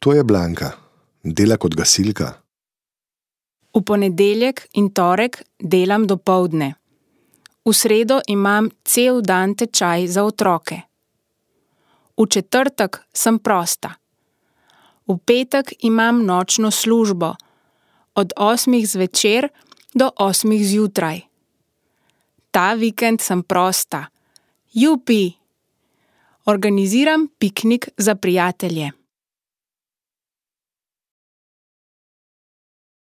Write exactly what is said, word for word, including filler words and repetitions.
To je Blanka. Dela kot gasilka. V ponedeljek in torek delam dopoldne. V sredo imam cel dan tečaj za otroke. V četrtek sem prosta. V petek imam nočno službo. Od osmih zvečer do osmih zjutraj. Ta vikend sem prosta. Jupi! Organiziram piknik za prijatelje.